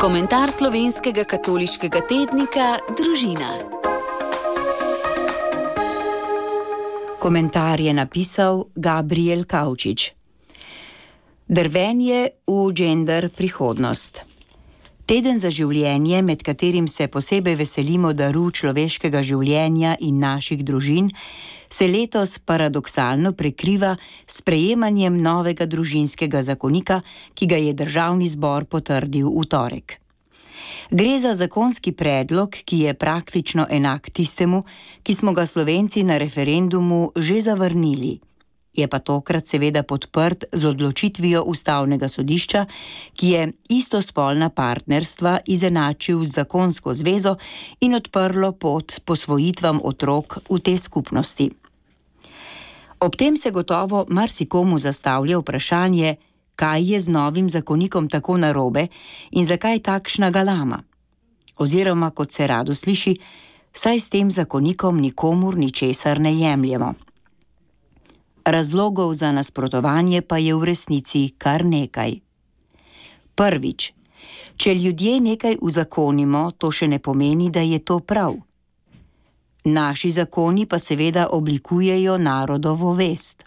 Komentar slovenskega katoliškega tednika Družina. Komentar je napisal Gabriel Kavčič. Drvenje v gender prihodnost. Teden za življenje, med katerim se posebej veselimo daru človeškega življenja in naših družin, se letos paradoksalno prekriva s sprejemanjem novega družinskega zakonika, ki ga je Državni zbor potrdil v torek. Gre za zakonski predlog, ki je praktično enak tistemu, ki smo ga Slovenci na referendumu že zavrnili. Je pa tokrat seveda podprt z odločitvijo Ustavnega sodišča, ki je istospolna partnerstva izenačil z zakonsko zvezo in odprlo pot posvojitvam otrok v tej skupnosti. Ob tem se gotovo marsikomu zastavlja vprašanje, kaj je z novim zakonikom tako narobe in zakaj takšna galama. Oziroma, kot se rado sliši, saj s tem zakonikom nikomur ničesar ne jemljemo. Razlogov za nasprotovanje pa je v resnici kar nekaj. Prvič, če ljudje nekaj uzakonimo, to še ne pomeni, da je to prav. Naši zakoni pa seveda oblikujejo narodovo vest.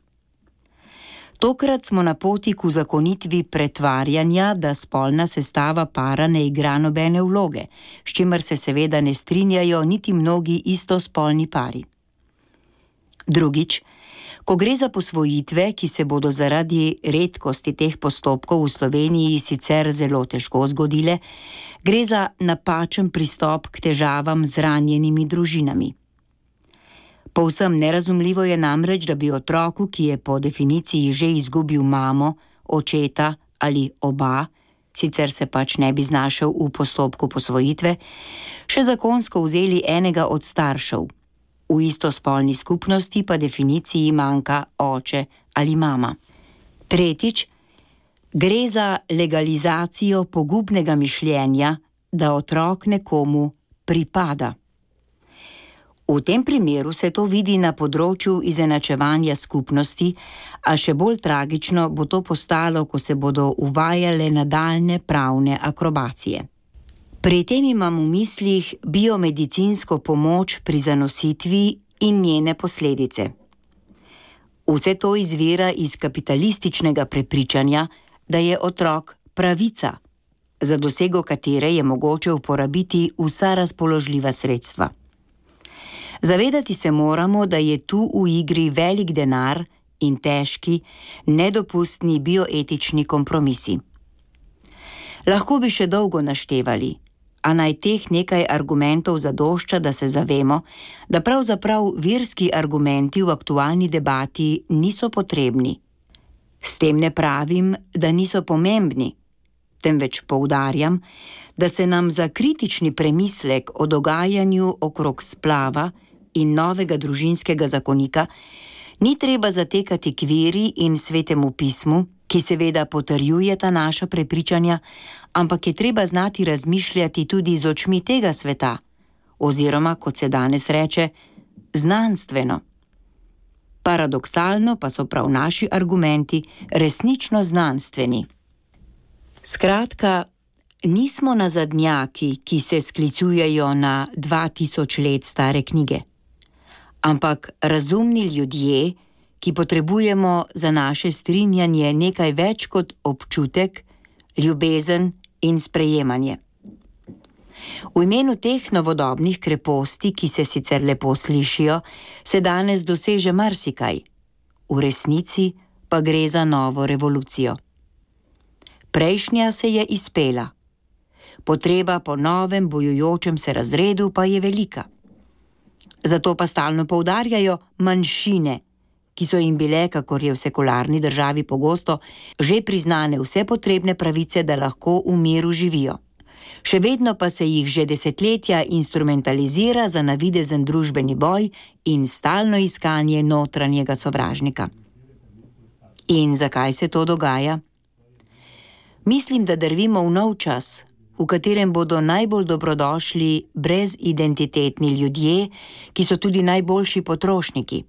Tokrat smo na poti k uzakonitvi pretvarjanja, da spolna sestava para ne igra nobene vloge, s čimer se seveda ne strinjajo niti mnogi istospolni pari. Drugič, ko gre za posvojitve, ki se bodo zaradi redkosti teh postopkov v Sloveniji sicer zelo težko zgodile, gre za napačen pristop k težavam z ranjenimi družinami. Povsem nerazumljivo je namreč, da bi otroku, ki je po definiciji že izgubil mamo, očeta ali oba, sicer se pač ne bi znašel v postopku posvojitve, še zakonsko vzeli enega od staršev. V istospolni skupnosti pa definiciji manjka oče ali mama. Tretjič, gre za legalizacijo pogubnega mišljenja, da otrok nekomu pripada. V tem primeru se to vidi na področju izenačevanja skupnosti, a še bolj tragično bo to postalo, ko se bodo uvajale nadaljne pravne akrobacije. Pri tem imam v mislih biomedicinsko pomoč pri zanositvi in njene posledice. Vse to izvira iz kapitalističnega prepričanja, da je otrok pravica, za dosego katere je mogoče uporabiti vsa razpoložljiva sredstva. Zavedati se moramo, da je tu v igri velik denar in težki, nedopustni bioetični kompromisi. Lahko bi še dolgo naštevali, a naj teh nekaj argumentov zadošča, da se zavemo, da pravzaprav verski argumenti v aktualni debati niso potrebni. S tem ne pravim, da niso pomembni, temveč poudarjam, da se nam za kritični premislek o dogajanju okrog splava in novega družinskega zakonika ni treba zatekati k veri in svetemu pismu, ki seveda potrjujeta naša prepričanja, ampak je treba znati razmišljati tudi z očmi tega sveta, oziroma, kot se danes reče, znanstveno. Paradoksalno pa so prav naši argumenti resnično znanstveni. Skratka, nismo nazadnjaki, ki se sklicujejo na 2000 let stare knjige, ampak razumni ljudje, ki potrebujemo za naše strinjanje nekaj več kot občutek, ljubezen in sprejemanje. V imenu teh novodobnih kreposti, ki se sicer lepo slišijo, se danes doseže marsikaj. V resnici pa gre za novo revolucijo. Prejšnja se je izpela. Potreba po novem bojujočem se razredu pa je velika. Zato pa stalno poudarjajo manjšine, ki so jim bile, kakor je v sekularni državi pogosto, že priznane vse potrebne pravice, da lahko v miru živijo. Še vedno pa se jih že desetletja instrumentalizira za navidezen družbeni boj in stalno iskanje notranjega sovražnika. In zakaj se to dogaja? Mislim, da drvimo v nov čas, v katerem bodo najbolj dobrodošli brezidentitetni ljudje, ki so tudi najboljši potrošniki.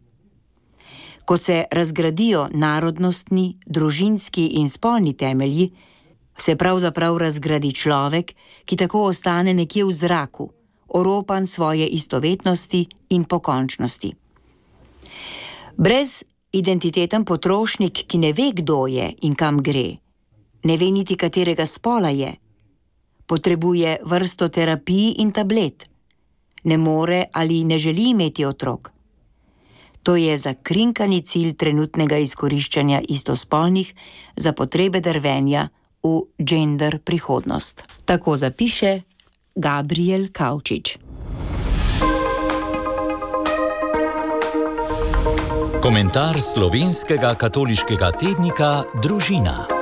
Ko se razgradijo narodnostni, družinski in spolni temelji, se pravzaprav razgradi človek, ki tako ostane nekje v zraku, oropan svoje istovetnosti in pokončnosti. Brez identiteten potrošnik, ki ne ve, kdo je in kam gre, ne ve niti katerega spola je, potrebuje vrsto terapij in tablet, ne more ali ne želi imeti otrok. To je zakrinkani cilj trenutnega izkoriščanja istospolnih za potrebe drvenja v gender prihodnost. Tako zapiše Gabriel Kavčič. Komentar slovenskega katoliškega tednika Družina.